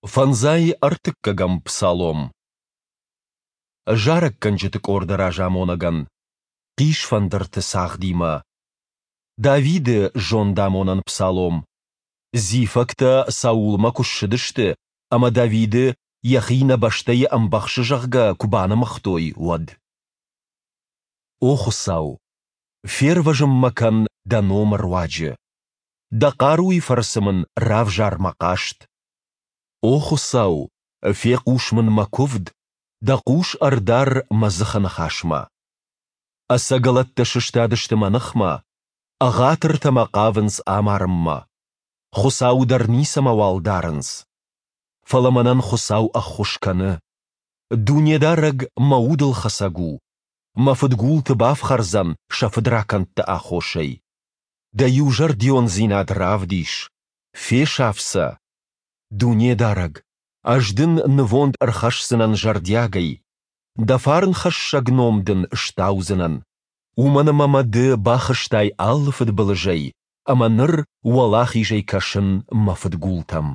Фӕндзай ӕртыккӕгӕм псалом. Зарӕггӕнджыты къорды разамонӕгӕн. Хъисфӕндырты цагъдимӕ. Давиды зондамонӕн псалом. Зифӕгтӕ Саулмӕ куы ссыдысты ӕмӕ Давиды, йӕхи нӕ бӕстӕйы ӕмбӕхсы, зӕгъгӕ, куы банымыгътой, уӕд. О Хуыцау, фервӕзын мӕ кӕн Дӕ номы руаджы. Дӕ хъаруйы фӕрцы мын равзар мӕ хъаст. О Хуыцау, фехъус мын мӕ куывд, Дӕ хъус ӕрдар мӕ дзыхы ныхасмӕ. Ӕцӕгӕлӕттӕ сыстадысты мӕ ныхмӕ, ӕгъатыртӕ мӕ хъавынц амарынмӕ. Хуыцауы дӕр ницӕмӕуал дарынц. Фӕлӕ мӕнӕн Хуыцау ӕххуыс кӕны. Дунедарӕг мӕ удылхӕцӕг у, мӕ фыдгулты бафхӕрдзӕн сӕ фыдракӕндты аххосӕй. Дӕ иузӕрдиондзинад равдис, фесаф сӕ. Дунедарӕг, ӕз дын нывонд ӕрхӕсдзынӕн зӕрдиагӕй, Дӕ фарнхӕссӕг ном дын стаудзынӕн. Уымӕн ӕмӕ мӕ Ды бахызтай алы фыдбылызӕй, ӕмӕ ныр уӕлахизӕй кӕсын мӕ фыдгултӕм.